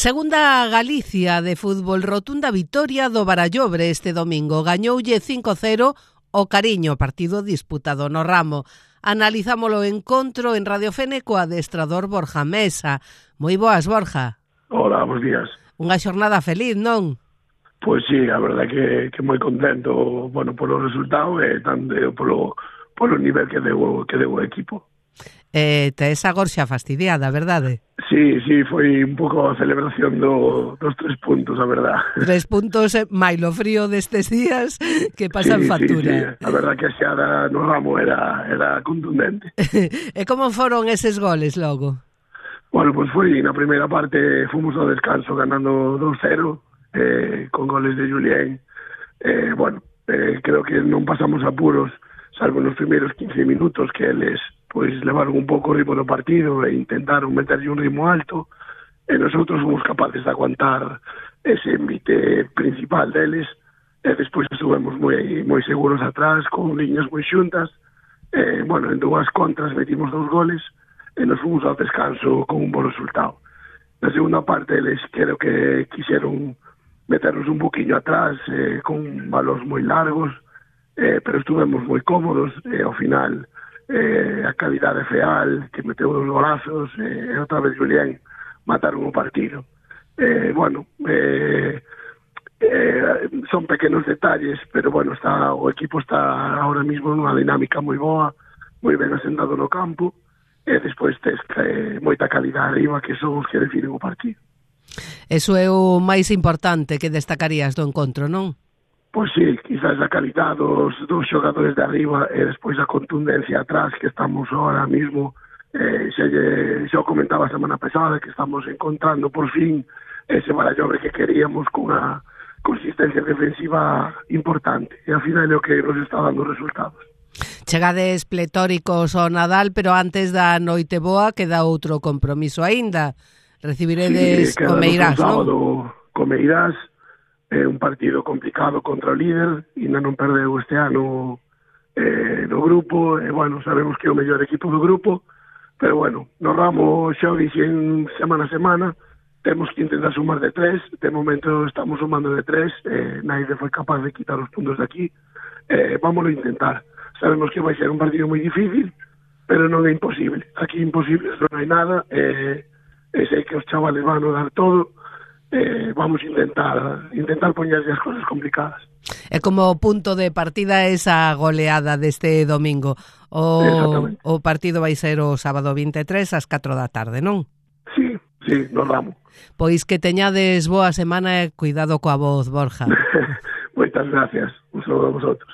Segunda Galicia de fútbol, rotunda vitoria do Barallobre este domingo. Gañoulle 5-0 o Cariño, partido disputado no Ramo. Analizámolo o encontro en Radio Fene co adestrador Borja Mesa. Moi boas, Borja. Hola, bons días. Unha xornada feliz, non? Pois sí, a verdade que moi contento, bueno, polo resultado e tanto polo nivel que deu o equipo. Tes a gorxa fastidiada, verdade? Sí, foi un pouco a celebración dos 3 puntos, a verdade. 3 puntos, mailo frío destes días que pasan factura. Sí. A verdade que a xeada no Ramo era contundente. E como foron eses goles logo? Bueno, pois foi na primeira parte, fomos ao descanso ganando 2-0 con goles de Julián. Creo que non pasamos apuros, salvo nos primeiros 15 minutos que eles pois levaron un pouco o ritmo do partido e intentaron meterlle un ritmo alto, e nosotros fomos capaces de aguantar ese envite principal deles, e despois estuvemos moi seguros atrás, con liñas moi xuntas, en dúas contras metimos 2 goles, e nos fomos ao descanso con un bo resultado. Na segunda parte, eles creo que quixeron meternos un poquinho atrás, con balóns moi largos, pero estuvemos moi cómodos, e ao final a calidade feal, que meteu os golazos, e outra vez Julián mataron o partido. Son pequenos detalles, pero o equipo está ahora mismo nunha dinámica moi boa, moi ben asentado no campo, e despois tes moita calidade arriba, que son os que definen o partido. Eso é o máis importante que destacarías do encontro, non? Pois sí, quizás a calidad dos xogadores de arriba e despois a contundencia atrás, que estamos ahora mismo, xa o comentaba a semana pasada, que estamos encontrando por fin ese Barallobre que queríamos cunha consistencia defensiva importante, e ao final é o que nos está dando resultados. Chegades pletóricos ao Nadal, pero antes da noite boa queda outro compromiso aínda. Recibiredes o Meirás, non? Co Meirás, un partido complicado contra o líder, ainda non perdeu este ano no grupo, e sabemos que é o mellor equipo do grupo, pero no Ramo xa o dixen semana a semana, temos que intentar sumar de 3, de momento estamos sumando de 3, naide foi capaz de quitar os puntos de aquí, vámoslo intentar. Sabemos que vai ser un partido moi difícil, pero non é imposible. Aquí imposibles non hai nada, e sei que os chavales van a dar todo. Vamos a intentar poñerlle as cosas complicadas. É como punto de partida esa goleada deste domingo. O partido vai ser o sábado 23 ás 4 da tarde, non? Sí, no Ramo. Pois que teñades boa semana e cuidado coa voz, Borja. Moitas gracias. Un saludo a vosotros.